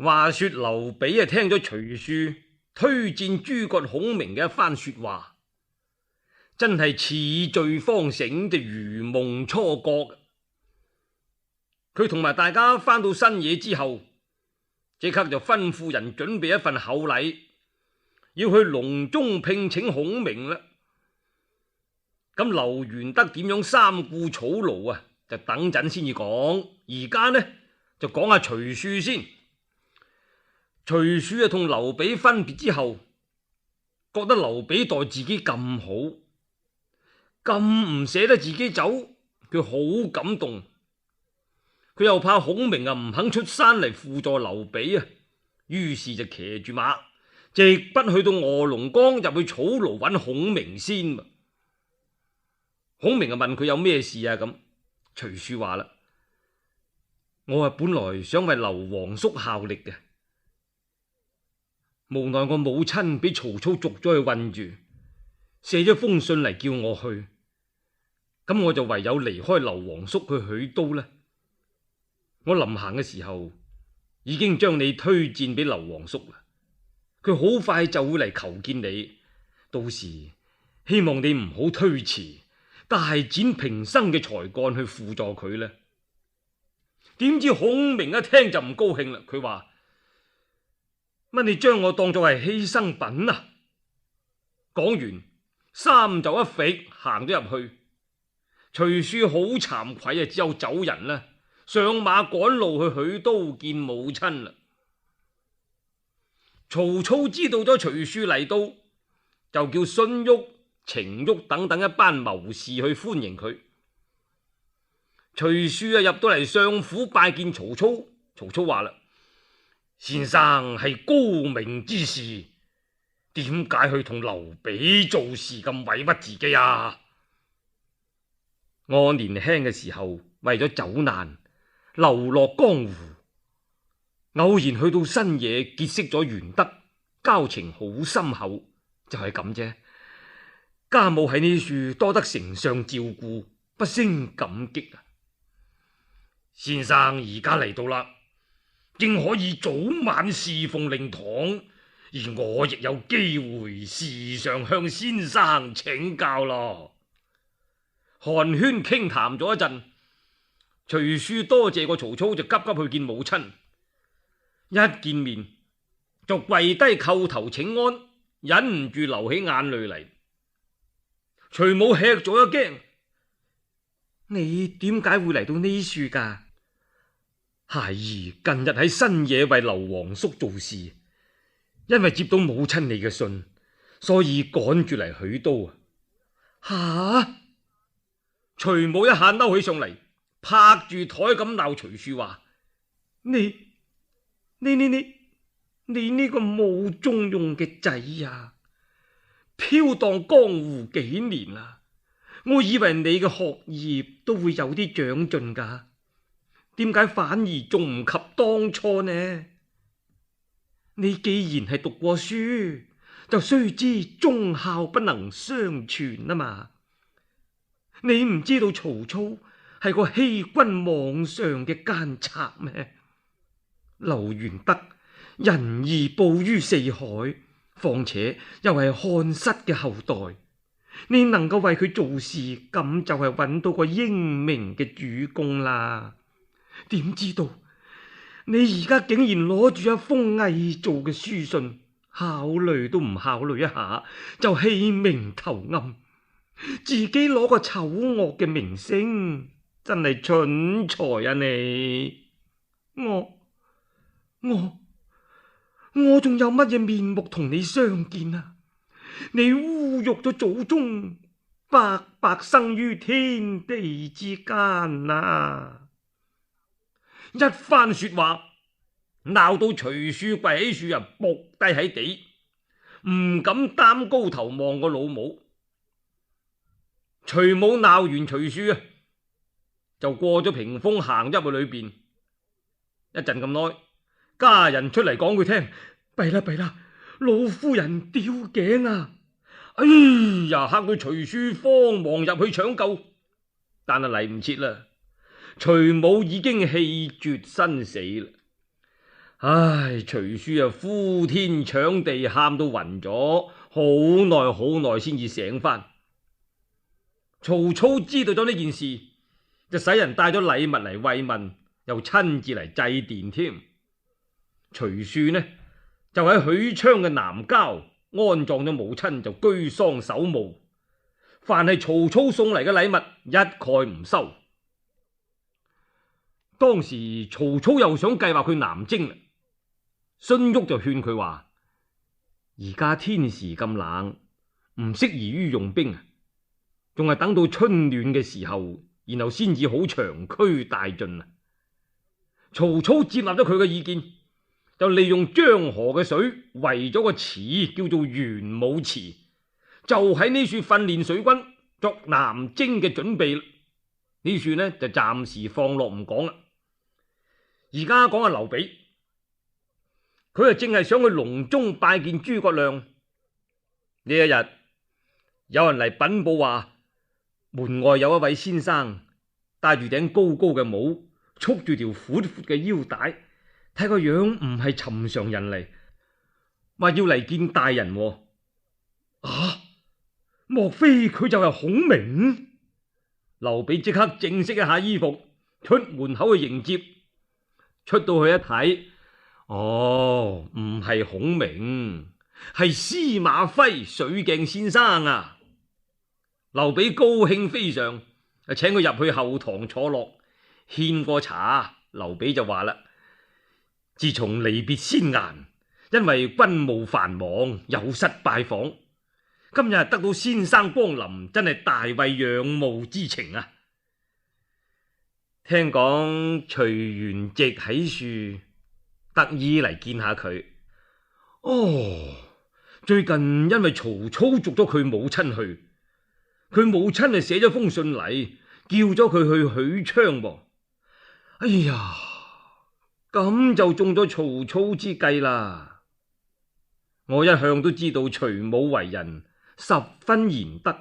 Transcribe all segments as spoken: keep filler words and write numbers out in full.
話說劉備啊，聽咗徐庶推薦諸葛孔明嘅一番說話，真係似醉方醒，就如夢初覺。佢同埋大家返到新野之後，即刻就吩咐人準備一份厚禮，要去隆中聘請孔明啦。咁劉玄德點樣三顧草廬啊？就等陣先至講。而家呢就講下徐庶先。徐庶啊同劉備分別之後，覺得劉備待自己咁好，咁唔捨得自己走，佢好感動。佢又怕孔明啊唔肯出山嚟輔助劉備啊，於是就騎住馬直奔去到臥龍崗入去草廬揾孔明先。孔明啊問佢有咩事啊？咁徐庶話啦：我啊本來想為劉皇叔效力嘅，無奈我母親俾曹操捉咗去困住，寫咗封信嚟叫我去，咁我就唯有離開劉皇叔去許都啦。我臨行嘅時候已經將你推薦俾劉皇叔啦，佢好快就會嚟求見你，到時希望你唔好推辭，大展平生嘅才幹去輔助佢啦。點知孔明一聽就唔高興啦，佢話：乜你將我當作係犧牲品啊？講完衫就一揈行咗入去。徐庶好慚愧啊，只有走人啦，上馬趕路去許都見母親啦。曹操知道咗徐庶嚟到，就叫荀彧、程昱等等一班謀士去歡迎佢。徐庶啊入到嚟相府拜見曹操，曹操話啦：先生係高明之士，點解去同劉備做事咁委屈自己啊？我年輕嘅時候為咗走難流落江湖，偶然去到新野結識咗玄德，交情好深厚，就係咁啫。家母喺呢處多得丞相照顧，不勝感激啊！先生而家嚟到啦，正可以早晚侍奉令堂，而我亦有機會時常向先生請教咯。寒暄傾談咗一陣，徐庶多謝過曹操，就急急去見母親。一見面就跪低叩頭請安，忍唔住流起眼淚嚟。徐母吃咗一驚：你點解會嚟到呢處噶？孩兒近日喺新野為劉皇叔做事，因為接到母親你嘅信，所以趕住嚟許都啊！吓！徐母一下嬲起上嚟，拍住台咁鬧徐庶話：你你你你你呢個冇中用嘅仔呀！飄蕩江湖幾年啦，我以為你嘅學業都會有啲長進噶，點解反而仲唔及當初呢？你既然係讀過書，就須知忠孝不能相傳啊嘛！你唔知道曹操係個欺君罔上嘅奸賊咩？劉玄德仁義布於四海，況且又係漢室嘅後代，你能夠為佢做事，咁就係揾到個英明嘅主公啦。點知道你而家竟然攞住一封偽造嘅書信，考慮都唔考慮一下就棄明投暗，自己攞個醜惡嘅名聲，真係蠢材啊你！我我我仲有乜嘢面目同你相見啊？你侮辱咗祖宗，白白生於天地之間啊！一番說話鬧到徐庶跪喺樹啊，伏低喺地，唔敢擔高頭望個老母。徐母鬧完徐庶啊，就過咗屏風行入去裏邊。一陣咁耐，家人出嚟講佢聽：弊啦弊啦，老夫人吊頸啊！哎呀，嚇到徐庶慌忙入去搶救，但係嚟唔切啦，徐母已經氣絕身死啦。唉，徐庶啊，呼天搶地，喊到暈咗，好耐好耐先至醒翻。曹操知道咗呢件事，就使人帶咗禮物嚟慰問，又親自嚟祭奠添。徐庶呢就喺許昌嘅南郊安葬咗母親，就居喪守墓。凡係曹操送嚟嘅禮物，一概唔收。當時曹操又想計劃去南征，荀彧就勸佢話：而家天時咁冷，唔適宜於用兵啊，仲係等到春暖嘅時候，然後先至好長驅大進啊。曹操接納咗佢嘅意見，就利用江河嘅水圍咗個池，叫做玄武池，就喺呢處訓練水軍作南征嘅準備。呢處呢就暫時放落唔講啦。而家講下劉備，佢啊正係想去隆中拜見諸葛亮。呢一日有人嚟稟報話，門外有一位先生戴住頂高高嘅帽，束住條闊闊嘅腰帶，睇個樣唔係尋常人嚟，話要嚟見大人。啊，莫非佢就係孔明？劉備即刻正式一下衣服，出門口去迎接。出到去一睇，哦，唔係孔明，係司馬徽水鏡先生啊！劉備高興非常，請佢入去後堂坐落，獻過茶。劉備就話啦：自從離別先顏，因為軍務繁忙，有失拜訪，今日得到先生光臨，真係大為仰慕之情啊！聽講徐元直喺處，特意嚟見下佢。哦，最近因為曹操捉咗佢母親去，佢母親係寫咗封信嚟，叫咗佢去許昌噃。哎呀，咁就中咗曹操之計啦！我一向都知道徐母為人十分賢德，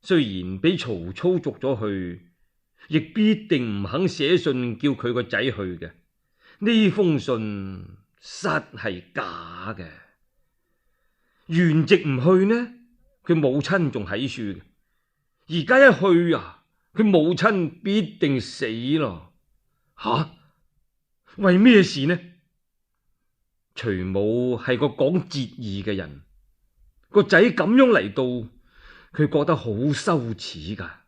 雖然俾曹操捉咗去，亦必定唔肯寫信叫佢個仔去嘅。呢封信實係假嘅。元直唔去呢，佢母親仲喺處嘅。而家一去啊，佢母親必定死咯。吓、啊，為咩事呢？徐母係個講節義嘅人，個仔咁樣嚟到，佢覺得好羞恥噶。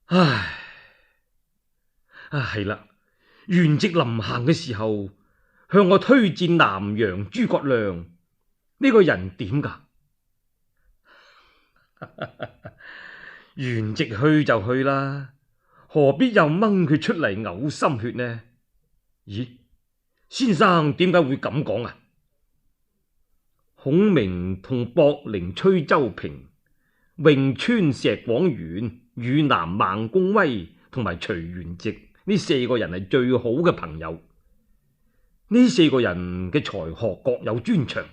唉，啊係啦，元直臨行嘅時候向我推薦南陽諸葛亮，呢個人點噶？元直去就去啦，何必又掹佢出嚟嘔心血呢？咦，先生點解會咁講啊？孔明同博陵崔州平、潁川石廣元、汝南孟公威同埋徐元直呢四個人係最好嘅朋友。呢四個人嘅才學各有專長，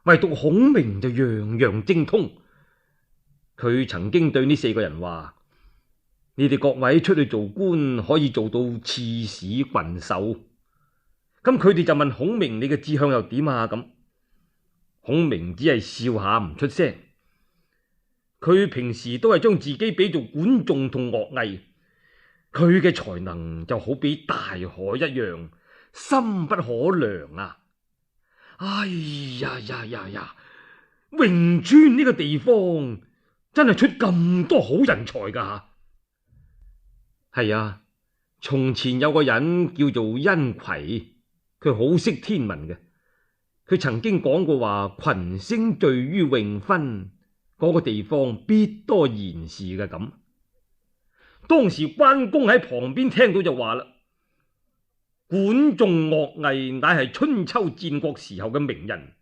唯獨孔明就樣樣精通。佢曾經對呢四個人話：你哋各位出去做官，可以做到刺史郡守。咁佢哋就問孔明：你嘅志向又點啊？咁孔明只係笑下唔出聲。佢平時都係將自己比做管仲同樂毅，佢嘅才能就好比大海一樣，深不可量啊！哎呀呀呀呀！潁川呢個地方真係出咁多好人才噶。係啊，從前有個人叫做殷馗，佢好識天文嘅。佢曾經講過話，群星聚於潁分，嗰個地方必多賢士嘅咁。當時關公喺旁邊聽到就話啦：管仲、樂毅乃係春秋戰國時候嘅名人，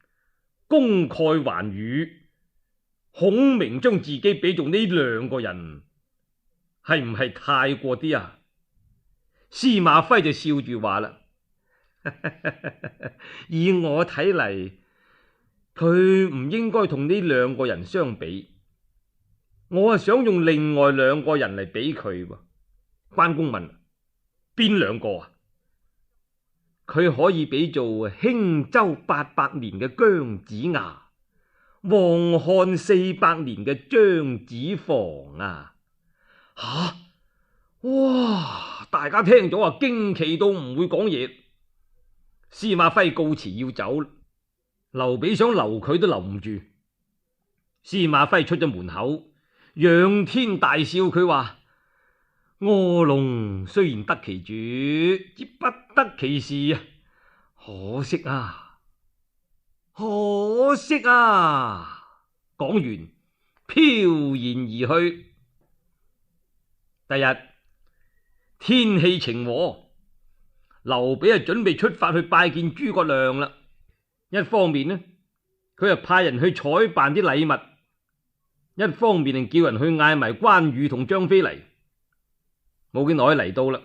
功蓋寰宇。孔明將自己比做呢兩個人，係唔係太過啲啊？司馬徽就笑住話啦：以我睇嚟，佢唔應該同呢兩個人相比。我係想用另外兩個人嚟比佢。關公問：邊兩個啊？佢可以比做興周八百年嘅姜子牙，黃漢四百年嘅張子房啊！吓、啊，哇！大家聽咗啊，驚奇到唔會講嘢。司馬徽告辭要走，劉備想留佢都留唔住。司馬徽出咗門口，仰天大笑，佢話：臥龍雖然得其主，之不得其事啊！可惜啊，可惜啊！講完，飄然而去。第日天氣晴和，劉備啊準備出發去拜見諸葛亮啦。一方面呢，佢又派人去採辦啲禮物；一方面就叫人去嗌埋關羽同張飛嚟。冇幾耐嚟到啦，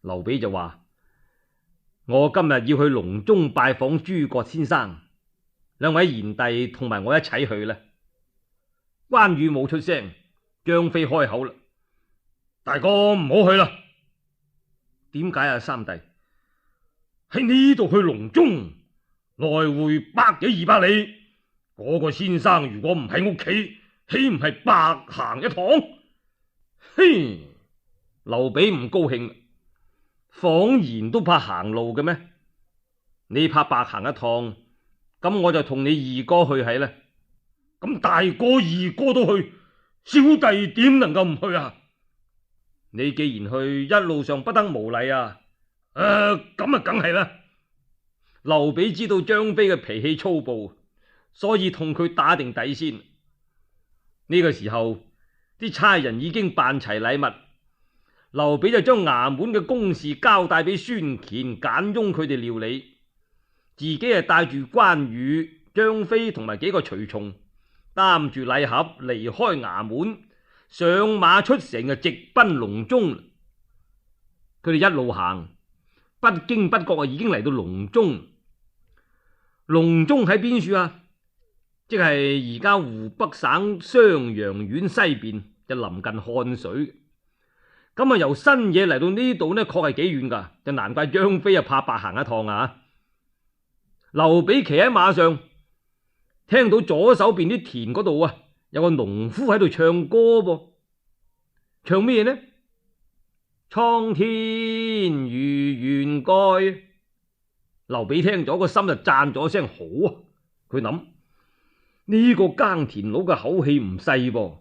劉備就話：我今日要去隆中拜訪諸葛先生，兩位賢弟同埋我一齊去啦。關羽冇出聲，張飛開口啦：大哥唔好去啦。點解啊？三弟，喺呢度去隆中，來回百幾二百里，嗰、那個先生如果唔喺屋企，豈唔係白行一趟？嘿，劉備唔高興，謊言都怕行路嘅咩？你怕白行一趟，咁我就同你二哥去係啦。咁大哥二哥都去，小弟點能夠唔去啊？你既然去，一路上不得無禮啊！誒、呃，咁啊，梗係啦。劉備知道張飛嘅脾氣粗暴，所以同佢打定底先。呢、這個時候，啲差人已經辦齊禮物，劉備就將衙門嘅公事交代俾孫乾、簡雍佢哋料理，自己係帶住關羽、張飛同埋幾個隨從，擔住禮盒離開衙門，上馬出城就直奔隆中。佢哋一路行，不經不覺啊，已經嚟到隆中。隆中喺邊處啊？即係而家湖北省襄陽縣西邊，就臨近漢水。咁啊，由新野嚟到呢度呢，確係幾遠噶，就難怪張飛啊怕白行一趟啊！劉備騎喺馬上，聽到左手邊啲田嗰度啊，有個農夫喺度唱歌噃，唱咩呢？蒼天如懸蓋。劉備聽咗個心就讚咗聲好啊！佢諗呢個耕田佬嘅口氣唔細噃，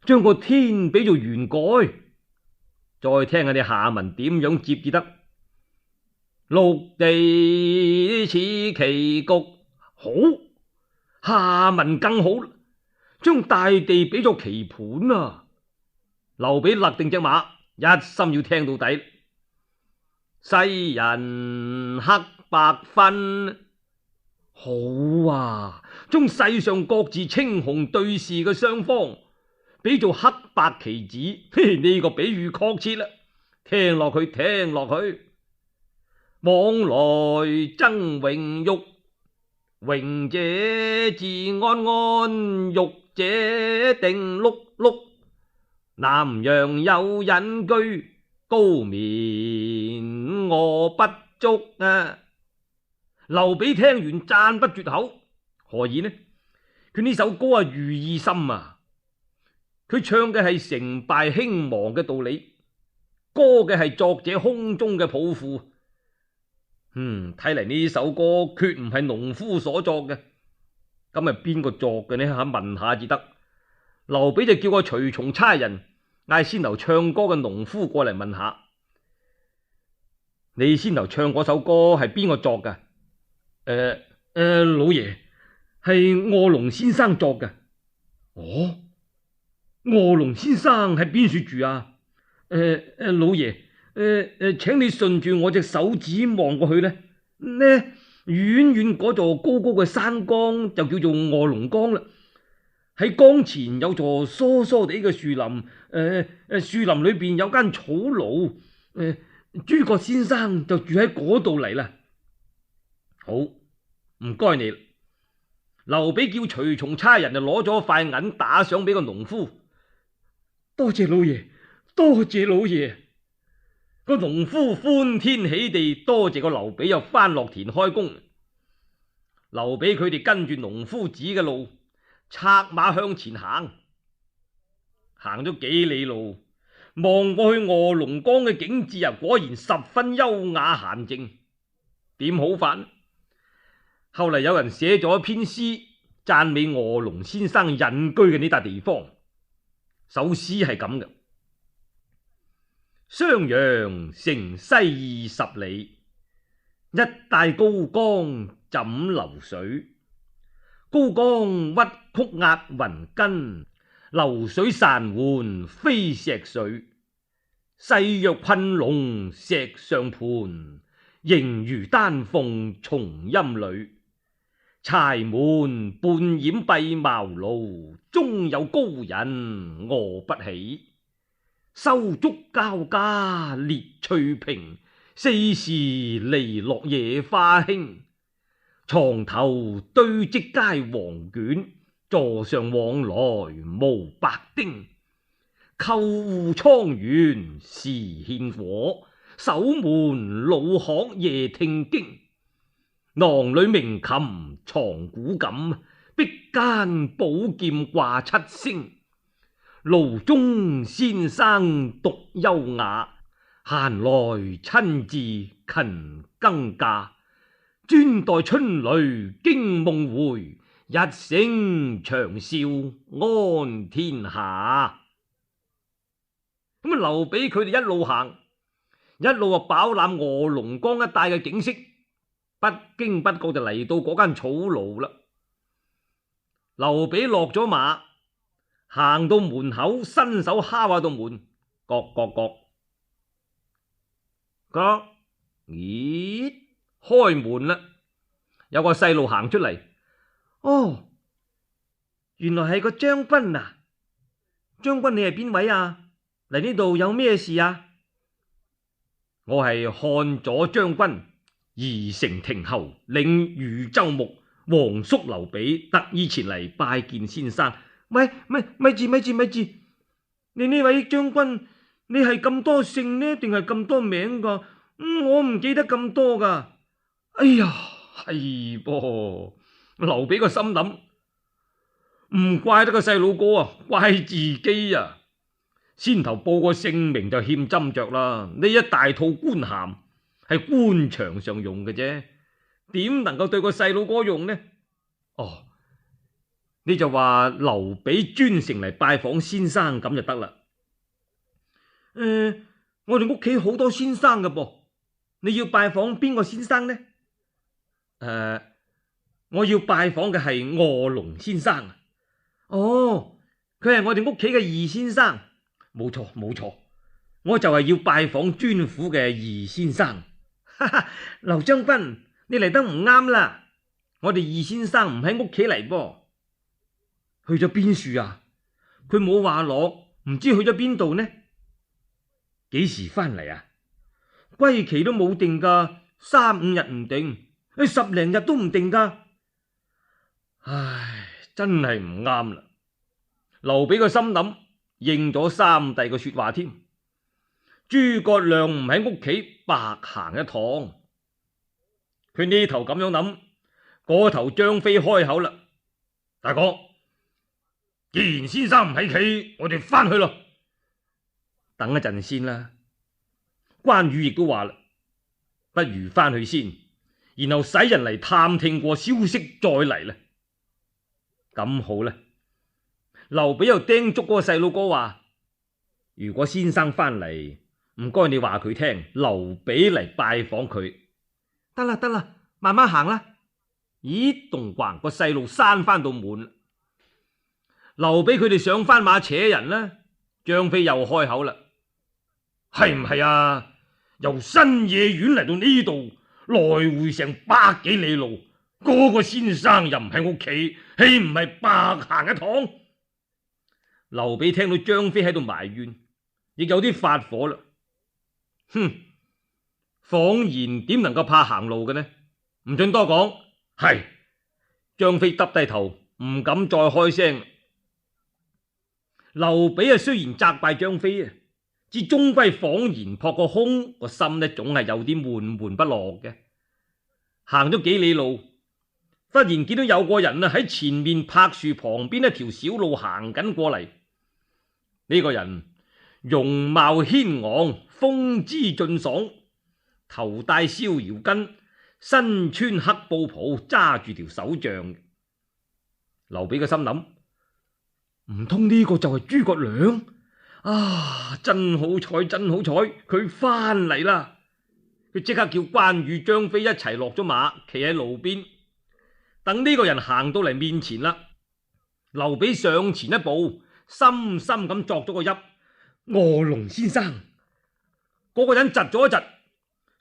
將個天比做懸蓋。再聽下你下文點樣接至得？陸地似棋局，好，下文更好，將大地比作棋盤啊！劉備勒定隻馬，一心要聽到底。世人黑白分，好啊！將世上各自青紅對視嘅雙方比做黑白棋子，嘿，呢、這個比喻確切啦！聽落去，聽落去，往來爭榮辱，榮者自安安，辱者定碌碌。南陽有隱居，高眠臥不足啊！劉備聽完讚不絕口，何以呢？佢呢首歌啊，寓意深啊！佢唱嘅係成敗興亡嘅道理，歌嘅係作者胸中嘅抱負。嗯，睇嚟呢首歌決唔係農夫所作嘅，咁係邊個作嘅呢？吓，問下至得。劉備就叫個隨從差人嗌先頭唱歌嘅農夫過嚟問下，你先頭唱嗰首歌係邊個作噶？誒、呃、誒、呃，老爺，係臥龍先生作嘅。哦，臥龍先生喺邊處住啊？誒、呃、誒、呃，老爺，誒、呃、誒，請你順住我隻手指望過去咧，呢遠遠嗰座高高嘅山崗就叫做臥龍崗啦。喺崗前有座疏疏地嘅樹林，誒、呃、誒，樹林裏邊有間草廬，誒、呃，諸葛先生就住喺嗰度嚟啦。好，唔該你。劉備叫隨從差人就攞咗塊銀打賞俾個農夫。多謝老爺，多謝老爺。個農夫歡天喜地多謝個劉備又翻落田開工。劉備佢哋跟住農夫指嘅路，策馬向前行。行咗幾里路，望過去臥龍崗嘅景致啊，果然十分優雅閒靜。點好法？後嚟有人寫咗一篇詩，讚美臥龍先生隱居嘅呢笪地方。首詩係咁嘅：襄陽城西二十里，一帶高江枕流水。高江屈曲壓雲根，流水潺緩飛石水。勢若困龍石上盤，形如丹鳳松陰裏。柴門半掩閉茅廬，中有高人臥不起。收竹交加列翠屏，四時籬落野花興。床頭堆積佳黃卷，座上往來無白丁。叩戶倉園時獻果，守門老鶴夜聽經。囊裏鳴琴藏古琴，壁間寶劍掛七星。爐中先生獨優雅，閒來親自勤耕稼。專待春雷驚夢回，一聲長嘯安天下。咁啊，劉備佢哋一路行，一路啊飽覽臥龍崗一帶嘅景色，不經不覺就嚟到嗰間草廬啦。劉備落咗馬，行到門口，伸手敲下道門，各各各，各，咦？開門啦！有個細路行出嚟。哦，原來係個將軍啊！將軍，你係邊位啊？嚟呢度有咩事啊？我係漢左將軍宜城亭侯領豫州牧皇叔劉備，特意前嚟拜見先生。喂，咪咪住咪住咪住！你呢位將軍，你係咁多姓呢，定係咁多名噶？嗯，我唔記得咁多噶。哎呀，係噃！劉備個心諗，唔怪得個細路哥啊，怪自己啊！先頭報個姓名就欠斟酌啦。呢一大套官銜係官場上用嘅啫，點能夠對個細路哥用呢？哦，你就話劉備專程嚟拜訪先生咁就得啦。誒、呃，我哋屋企好多先生㗎噃，你要拜訪邊個先生呢？誒、呃，我要拜訪嘅係臥龍先生。哦，佢係我哋屋企嘅二先生。冇錯冇錯，我就係要拜訪尊府嘅二先生。哈哈，劉將軍，你嚟得唔啱啦，我哋二先生唔喺屋企嚟噃。去咗邊處啊？佢冇話落，唔知去咗邊度呢？幾時翻嚟啊？歸期都冇定噶，三五日唔定。十零日都唔定噶，唉，真係唔啱啦。劉備個心諗，應咗三弟個說話添。諸葛亮唔喺屋企，白行一趟。佢呢頭咁樣諗，嗰頭張飛開口啦：大哥，既然先生唔喺企，我哋翻去咯。等一陣先啦。關羽亦都話啦，不如翻去先。然後使人嚟探聽過消息再嚟啦。咁好啦，劉備又叮囑嗰個細路哥話：如果先生翻嚟，唔該你話佢聽，劉備嚟拜訪佢。得啦得啦，慢慢行啦。咦，咚咣個細路閂翻到門。劉備佢哋上翻馬扯人啦。張飛又開口啦：係唔係啊？由新野縣嚟到呢度，來回成百幾里路，嗰、那個先生又唔喺屋企，豈唔係白行一趟？劉備聽到張飛喺度埋怨，亦有啲發火啦。哼，謊言點能夠怕行路嘅呢？唔准多講。係，張飛耷低頭，唔敢再開聲。劉備啊，雖然責怪張飛啊，至終歸恍然撲個空，個心呢總係有啲悶悶不樂嘅。行咗幾里路，忽然見到有個人啊喺前面柏樹旁邊一條小路行緊過嚟。呢個人容貌軒昂，風姿俊爽，頭戴逍遙巾，身穿黑布袍，揸住條手杖。劉備嘅心諗，唔通呢個就係諸葛亮？啊，真好彩，真好彩，佢翻嚟啦！佢即刻叫關羽、張飛一齊落咗馬，企喺路邊，等呢個人行到嚟面前啦。劉備上前一步，深深咁作咗個揖：臥龍先生。嗰個人窒咗一窒，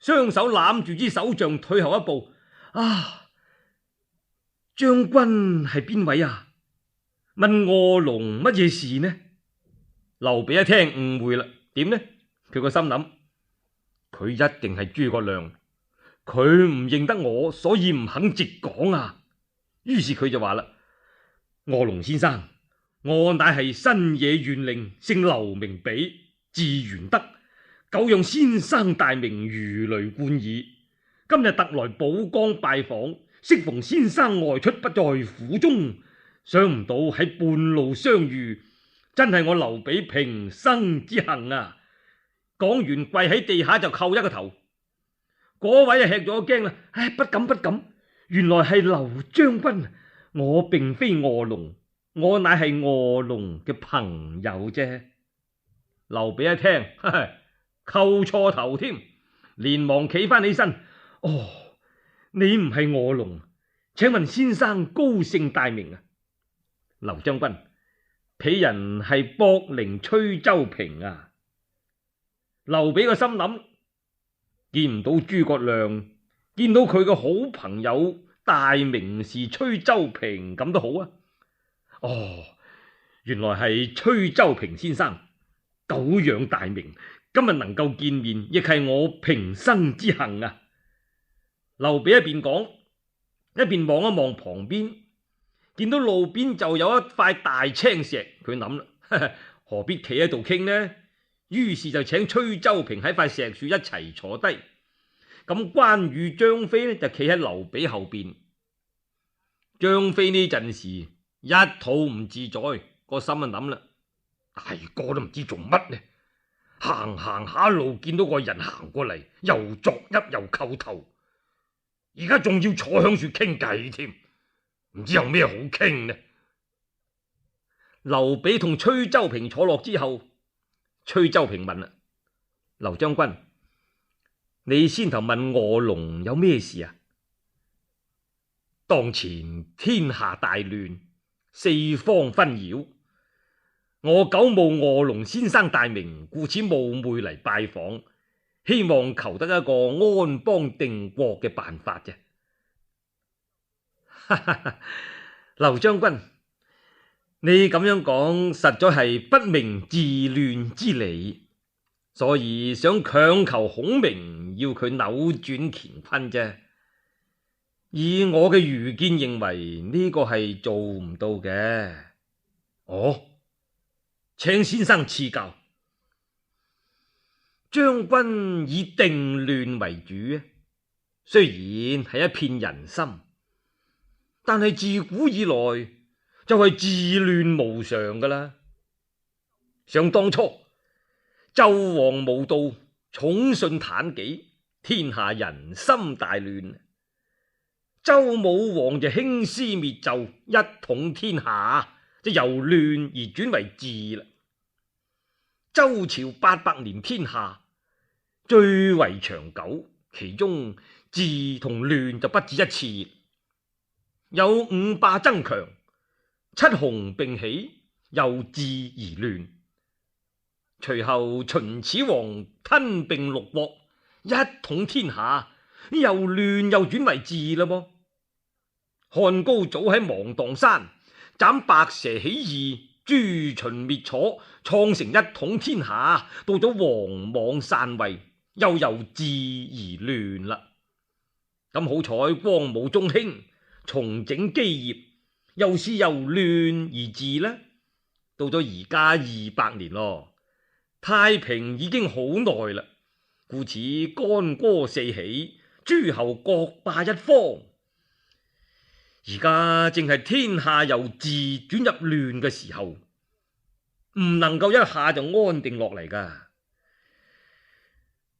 雙手攬住支手杖，退後一步。啊，將軍係邊位啊？問臥龍乜嘢事呢？劉備一聽誤會啦，點呢？佢個心諗，佢一定係諸葛亮，佢唔認得我，所以唔肯直講啊。於是佢就話啦：臥龍先生，我乃係新野縣令，姓劉，名比，字玄德，久仰先生大名，如雷貫耳。今日特來寶崗拜訪，適逢先生外出不在府中，想唔到喺半路相遇，真係我劉備平生之幸啊！講完跪喺地下就叩一個頭。嗰位啊吃咗驚啦，唉，不敢不敢，原來係劉將軍，我並非臥龍，我乃係臥龍嘅朋友啫。劉備一聽，哈哈，叩錯頭添，連忙企翻起身。哦，你唔係臥龍，請問先生高姓大名啊？劉將軍，鄙人係博陵崔州平啊。劉備個心諗，見唔到諸葛亮，見到佢個好朋友大名士崔州平咁都好啊。哦，原來係崔州平先生，久仰大名，今日能夠見面，亦係我平生之幸啊。劉備一邊講，一邊望一望旁邊，見到路邊就有一塊大青石，佢諗啦，何必企喺度傾呢？於是就請崔州平喺塊石樹一齊坐低。咁關羽、張飛呢就企喺劉備後邊。張飛呢陣時一肚唔自在，個心啊諗啦，大哥都唔知做乜呢，行行下路見到個人行過嚟，又作揖又叩頭，而家仲要坐響樹傾偈添，唔知有咩好傾呢？劉備同崔州平坐落之後，崔州平問啦：劉將軍，你先頭問臥龍有咩事啊？當前天下大亂，四方紛擾，我久冒臥龍先生大名，故此冒昧嚟拜訪，希望求得一個安邦定國嘅辦法啫。哈哈哈，劉將軍，你咁樣講實在係不明治亂之理，所以想強求孔明，要佢扭轉乾坤啫。以我嘅愚見認為呢個係做唔到嘅。哦，請先生賜教。將軍以定亂為主，雖然係一片人心，但係自古以來就係治亂無常噶啦。想當初紂王無道，寵信妲己，天下人心大亂。周武王就興師滅紂，一統天下，就由亂而轉為治啦。周朝八百年天下，最為長久，其中治同亂就不止一次。有五霸爭強，七雄並起，由治而亂。隨後秦始皇吞併六國，一統天下，由亂又轉為治啦噃。漢高祖喺芒碭山斬白蛇起義，誅秦滅楚，創成一統天下。到咗王莽篡位，又由治而亂啦。咁好彩光武中興，重整基業，又是由亂而治啦。到咗而家二百年咯，太平已經好耐啦，故此干戈四起，諸侯各霸一方。而家正係天下由治轉入亂嘅時候，唔能夠一下就安定落嚟噶。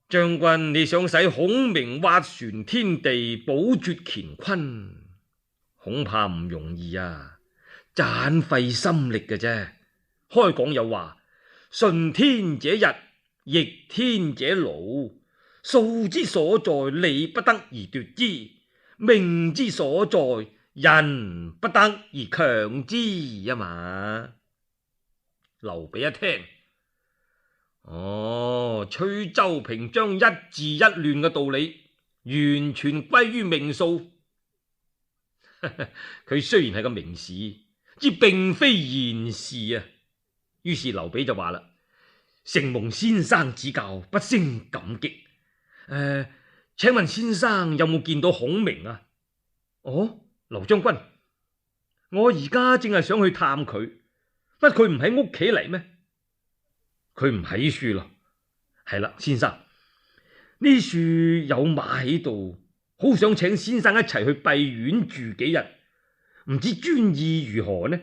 將軍，你想使孔明斡旋天地，保絕乾坤，恐怕唔容易啊，盞費心力嘅啫。開講有話，順天者日，逆天者勞。數之所在，利不得而奪之；命之所在，人不得而強之啊嘛。劉備一聽，哦，崔州平將一治一亂嘅道理完全歸於命數。佢雖然係個名士，之並非賢士啊。於是劉備就話啦：承蒙先生指教，不勝感激。誒、呃，請問先生有冇見到孔明啊？哦，劉將軍，我而家正係想去探佢，乜佢唔喺屋企嚟咩？佢唔喺樹咯。係啦，先生，呢樹有馬喺度，好想請先生一齊去閉院住幾日，唔知專意如何呢？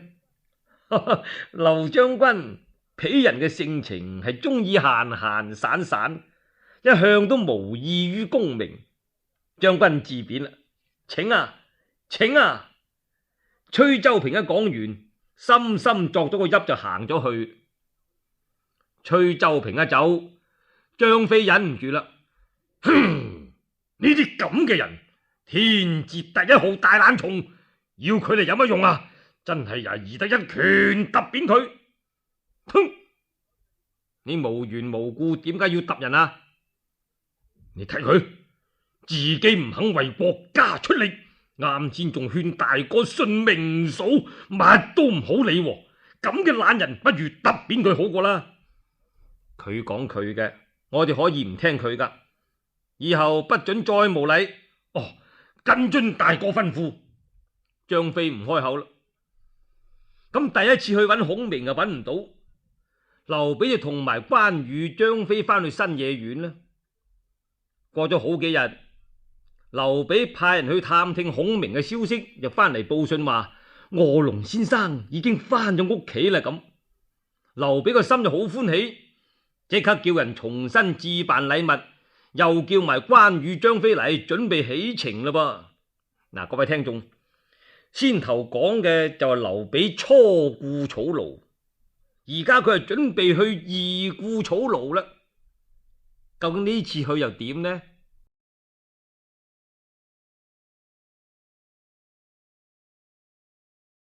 劉將軍，鄙人嘅性情係中意閒閒散散，一向都無異於功名。將軍自便啦，請啊，請啊！崔州平一講完，深深作咗個揖就行咗去。崔州平一走，張飛忍唔住啦，哼！呢啲咁嘅人，天字第一號大懶蟲，要佢嚟有乜用啊？真係呀，宜得一拳揼扁佢。哼！你無緣無故點解要揼人啊？你睇佢自己唔肯為國家出力，啱先仲勸大哥信明嫂，乜都唔好理。咁嘅懶人，不如揼扁佢好過啦。佢講佢嘅，我哋可以唔聽佢噶。以後不准再無禮。哦，謹遵大哥吩咐。張飛唔開口啦。咁第一次去揾孔明啊，揾唔到。劉備就同埋關羽、張飛翻去新野縣啦。過咗好幾日，劉備派人去探聽孔明嘅消息，就翻嚟報信話臥龍先生已經翻咗屋企啦。咁劉備個心就好歡喜，即刻叫人重新置辦禮物，又叫埋關羽、張飛嚟準備起程啦噃。嗱，各位聽眾，先頭講嘅就係劉備初顧草廬，而家佢係準備去二顧草廬啦。究竟呢次去又點呢？